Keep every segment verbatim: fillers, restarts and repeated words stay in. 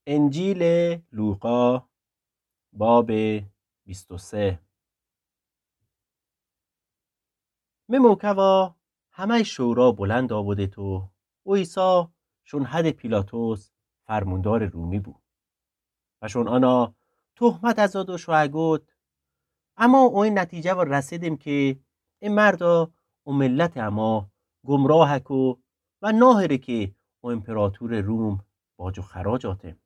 انجیلٚ لوقا، بابٚ بیست و سه. می موکوا همه‌یٚ شورا بلند آبودید و، و عیسی شون حدٚ پیلاطس فرموندارٚ رومی بو. و شون آنا تهمت ازاد و شویه گود، اما او ای نتیجه وا رسیدیم که ای مردا او ملتٚ اما گمراه کو و ناهره که او ایمپراطورٚ روم باج و خراج آته.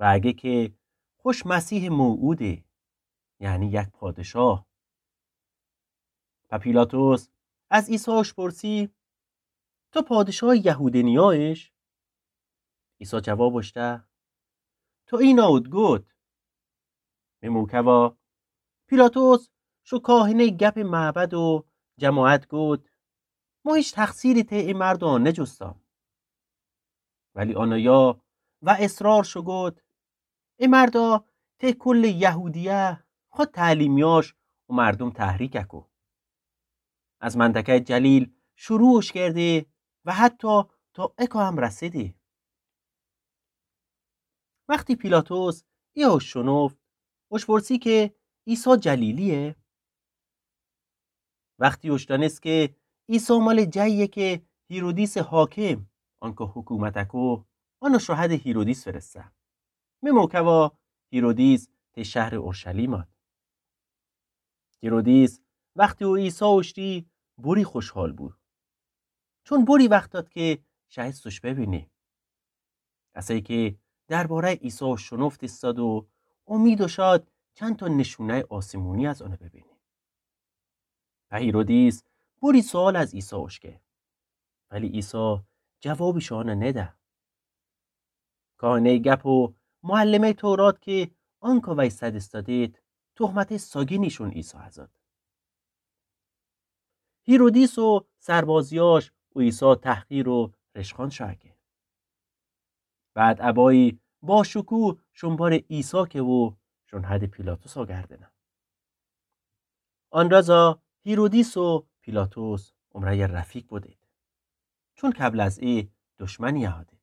و اگه که خوش مسیحٚ موعوده، یعنی یک پادشاه. و پیلاطس از عیسی اوشپرسی، تو پادشاهٚ یهودینیایش؟ عیسی جواب اوشته، تو اینا اود گود. می موکوا پیلاطس شو کاهنه گپٚ معبد و جماعت گود، ما هیچ تقصیری ته ای مردا نجوستام. ولی آنایا و اصرار شو گود، ای مردا ته کلٚ یهودیه خو تعلیمیاش او مردم تحریک کو. از منطقه‌یٚ جلیل شروعش کرده و حتی تا اکا هم رسیده. وختی پیلاطس ایه شنفت، اوشپرسی که عیسی جلیلیه؟ وختی اوشدانست که عیسی مالٚ جاییه که هیرودیسٚ حاکم، آنکا حکومت کو، آنا شو حدٚ هیرودیس فرسته. می موکوا هیرودیس ته شهرٚ اورشلیم آد. هیرودیس وختی او عیسی اوشتی بوری خوشحال بو، چون بوری وخت داد که شایستش ببینه. اسه‌یی که درباره‌یٚ عیسی شنفت ایساد و امید داشت چندتا نشونه‌یٚ آسمونی از آنه ببینه. و هیرودیس بوری سؤال از عیسی اوشکه، ولی عیسی جوابیش آنه نده. کاهنه‌یٚ گپ و معلمه‌یٚ تورات که آنکا ویسد ایستادید، تهمتٚ ساگینیشون عیسی ازاد. هیرودیس و سربازیاش او عیسی تحقیر و رشخان شویه که. بعد عبایی باشکوه شون بارٚ عیسی که و شون حدٚ پیلاطس آگردنه. آن رزا هیرودیس و پیلاطس عمره‌یٚ رفیق بودید، چون قبل از ای دشمنی اهادید.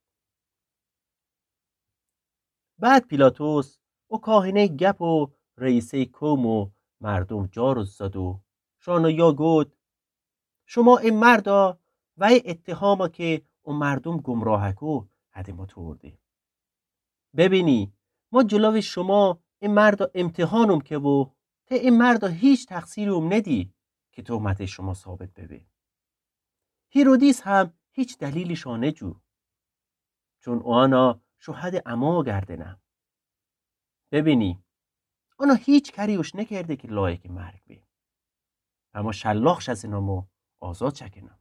بعد پیلاطس او کاهنه‌یٚ گپ و رئیسه‌یٚ قوم و مردم جار زاد و شو آنایا گود، شما ای مردا و ای اتهاما که او مردم گمراه کو حدٚ ما توردی. ببینی، ما جلوٚ شما ای مردا امتحانم که و ته ای مردا هیچ تقصیری اوم ندی که تهمتٚ شما ثابت ببه. هیرودیس هم هیچ دلیلیش آنه جو، چون او آنا شو حدٚ اما آگردنه. ببینی، آنا هیچ کاری اوش نکرده که لایقٚ مرگ به. اما شلاقش از انامو آزاد چکنم.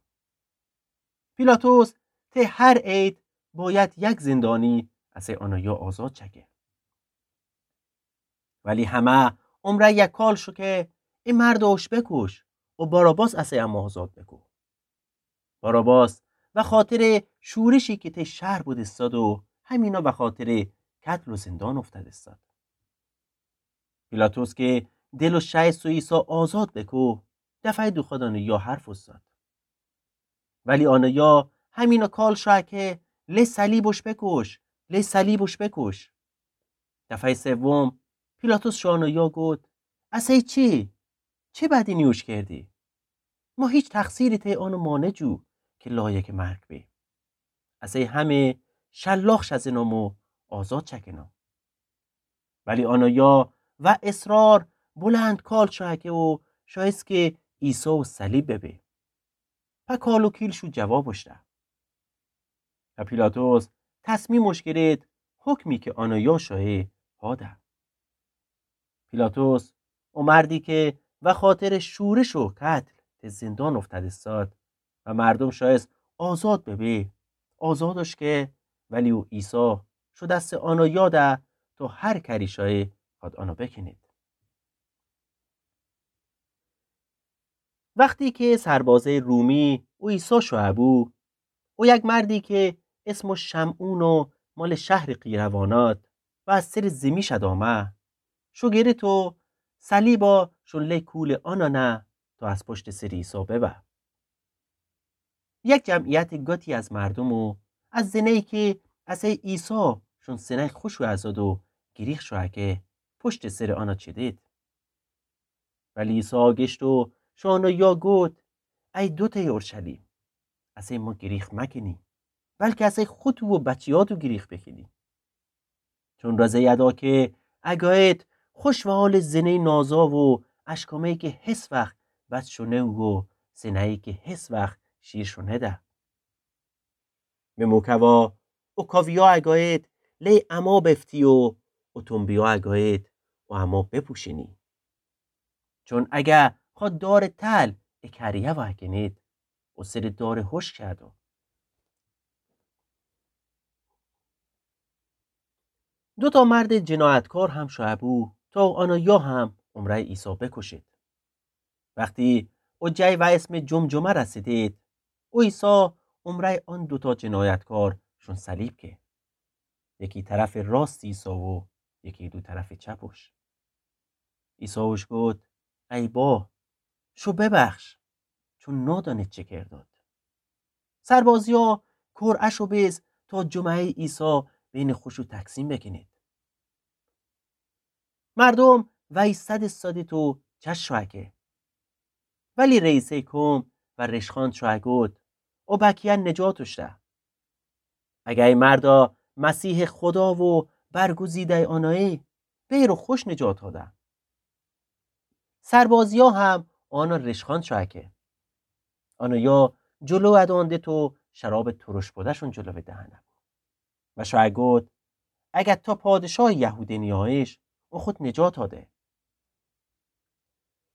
پیلاطس ته هر عید باید یک زندانی اسه آنایا آزاد چکه. ولی همه عمره‌یٚ کال شو که ای مردا اوش بکوش و باراباس اسه اما آزاد بکو. باراباس وخاطرٚ شورشی که ته شهر بودستاد و همینا وخاطرٚ قتل و زندان افتادستاد. پیلاطس که دل و شایست و عیسی آزاد بکو، دفعه‌یٚ دوخودانه یا حرف اوستاد. ولی آنایا همینا کال شوه که لی صلیبش بکوش، لی صلیبش بکوش. دفعه‌یٚ سوم پیلاطس شو آنایا گود، اسه چی؟ چی بدینی اوش کردی؟ ما هیچ تقصیری ته آنٚ مانه جو که لایقٚ مرگ به. اسه همه شلاقش از انامو آزاد چکنم. ولی آنایا و اصرار بلند کال شوه که و شایست که عیسی و صلیب ببه. په کال و کیل شو جوابش ده. و پیلاطس تصمیمش گرید حکمی که آنایا شوه هاده. پیلاطس او مردی که وخاطرٚ شورش و قتل ته زندان افتادستاد و مردم شایست آزاد ببه، آزادش که، ولی او عیسی شو دستٚ آنایا ده تا هر کاری شوه خواد آنا بکنید. وختی که سربازه‌یٚ رومی او عیسی شوه بو، او یک مردی که اسمش شمعون و مالٚ شهرٚ قیروانات و از سرٚ زیمی شد آمه، شو گرفت و صلیبا شون لی کولٚ آن آنه تا از پشتٚ سرٚ عیسی ببه. یک جمعیتٚ گتی از مردم و از زنه‌یی که اسه عیسی شون سینه‌ی خوشو ازاد و گریخ شو اکه پشتٚ سرٚ آنا چیدید. ولی عیسی گشت و شو آنا یا گود: ای دوته‌یٚ اورشلیم، اسه ما گریخ مکنی، بلکه اسه خوتو و بچیاتو گریخ بکنی. چون رازی ادا که اگایید خوش وهالٚ زنه‌یٚ نازا و اشکمه‌یی که هیس وخت بد شو نئو و سینه‌یی که هیس وخت شیر شو نده. مه موکوا او کاویا اگایید لی اما بفتی و او تنبیا اگایید او اما بپوشینی. چون اگه خو دارٚ تل ا کریه واکنید، او سرٚ دارٚ هوش کردو. دوتا مردٚ جنایتکار هم شوئه بو تا او آنا یا هم امرأی عیسی بکوشید. وختی او جایی و اسمٚ جمجمه رسیدید، او عیسی امرأی آن دوتا جنایتکار شون صلیب که. یکی طرفٚ راستٚ عیسی و یکی دو طرفٚ چپوش. عیسی اوش گود: ای با، شو ببخش، چون نادانید چی کردید. سربازیا کور اشو بیز تا جمعه‌یٚ عیسی بینٚ خوشو تقسیم بکنید. مردوم ویسد ایسادید و چش شوئه که. ولی رئیسٚ کوم و ریشخوأن شوئه گود: او بکیه نجات اوشته. اگه ای مردا مسیحٚ خودا و برگزیده‌یٚ آنایی، بیر و خوش نجات هده. سربازیا هم آنا ریشخوأن شوئه که. آنایا جلو ادأندید و شرابٚ ترش کوده‌شون جلو دهنه بو. و شوئه گود: اگه تو پادشاهٚ یهودینیاییش، او خود نجات هده.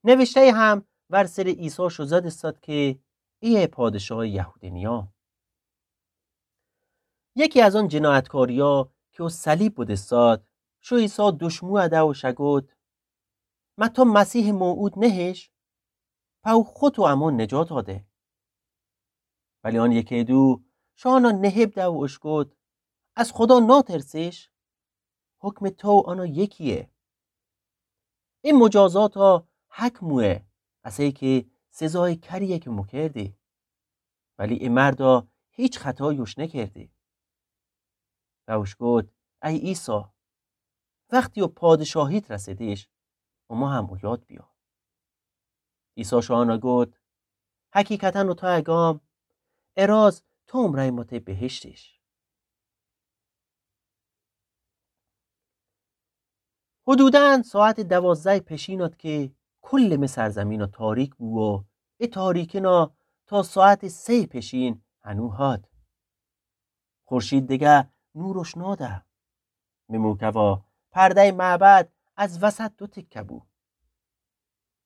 نوشته‌یی هم ور سرٚ عیسی شوزاد ایساد که ایه پادشاهٚ یهودینیا. یکی از آن جنایتکاریا که او صلیب بودستاد، شو عیسی دوشمو اده و شه گود: مه تو مسیحٚ موعود نهیش؟ په او خود و امو نجات هده. ولی آن یکی دو شو آنا نهیب ده و اوش گود: از خودا ناترسیش؟ حکمٚ تو و آنا یکییه. ای مجازاتا حک مویه، اسه‌یی که سزایٚ کریه که مو کردی. ولی ای مردا هیچ خطایی اوش نکردی. و اوش گود: ای عیسی، وختی او پادشاهیت رسیدیش، امو هم او یاد بیا. عیسی شو آنا گود: حقیقتا اوتو اگام، ا راز تو امرأی مو تی بهشتیش. حدودا ساعتٚ دوازده‌یٚ پیشین ات که کلٚ می سرزمینا تاریک بو و ا تاریکینا تا ساعتٚ سه‌یٚ پیشین هنو هات. خورشید دگه نور اوش ناده. می موکوا پرده‌یٚ معبد از وسط دو تکه بو.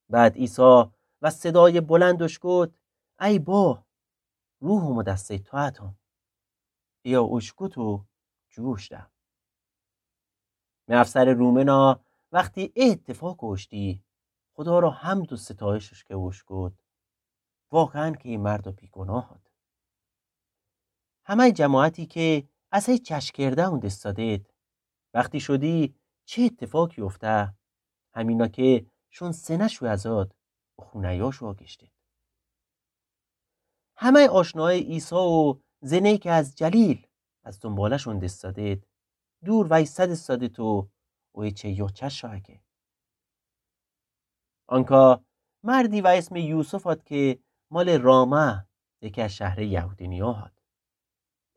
بعد عیسی و صدایٚ بلند اوش گود: ای با، روحٚ مو دسته‌یٚ تو اتم. ایا اوش گود و جوشته. می افسرٚ رومنا وختی ا اتفاق اوشتی، خودا را حمد و ستایش اوش که اوش گود: واقعا که ای مرد بیگناه ات. همه‌یٚ جماعتی که اسه‌یٚ چشم کرده اون دستادید، وختی شودی چی اتفاقی اوفته، همینا که شون سنه شو ازاد و خونه‌یاش واگشتید. همه‌یٚ آشنایٚ عیسی و زنه‌یی که از جلیل از دونباله‌شون دستادید، دور ویسد استادید و او ایچه یا چشا که. آنکا مردی و اسمٚ یوسف هات که مالٚ رامه، یکی از شهرٚ یهودینیا هات.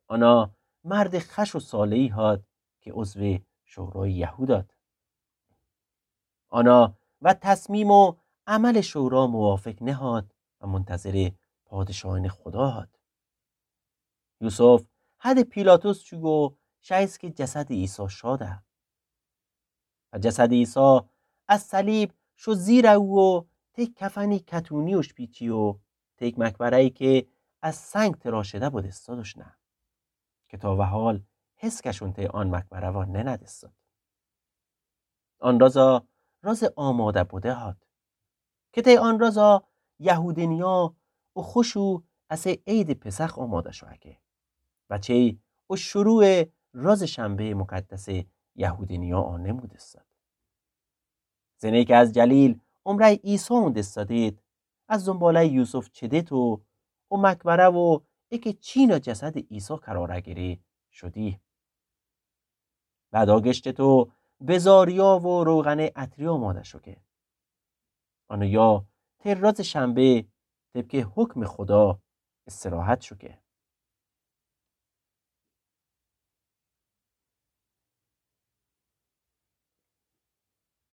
آنا مردٚ خش و صالحی هات که عضوٚ شورایٚ یهود هات. آنا و تصمیم و عملٚ شورا موافق نهات و منتظرٚ پادشاهیٚنٚ خودا هات. یوسف حدٚ پیلاطس چو و شایست که جسدٚ عیسی شاده. و جسدٚ عیسی از صلیب شو زیر او و تک کفنی کتونی اوش پیچی و تک مقبره‌یی که از سنگ تراشده بودستاد اوشنه، که تا وهال هسکشون تی آن مقبره وا ننه‌دستاد. آن رازا رازٚ آماده بوده هات. که تی آن رازا یهودینیا او خوشو اسه عیدٚ پسخ آماده شو اکه. و چی او شروعٚ رازٚ شنبهٚ مقدسٚ یهودینیا آنمودستاد. زنه‌یی که از جلیل امرأیٚ عیسی اون دستادید، از دونباله‌یٚ یوسف چدید و او مقبره و ایکه چینا جسدٚ عیسی قرار اگری شودی. بعد آ گشتٚ تو بزاریا و روغنٚ عطری آماده شو که. آنو یا ترازٚ شنبه طبقٚ حکمٚ خدا استراحت شو که.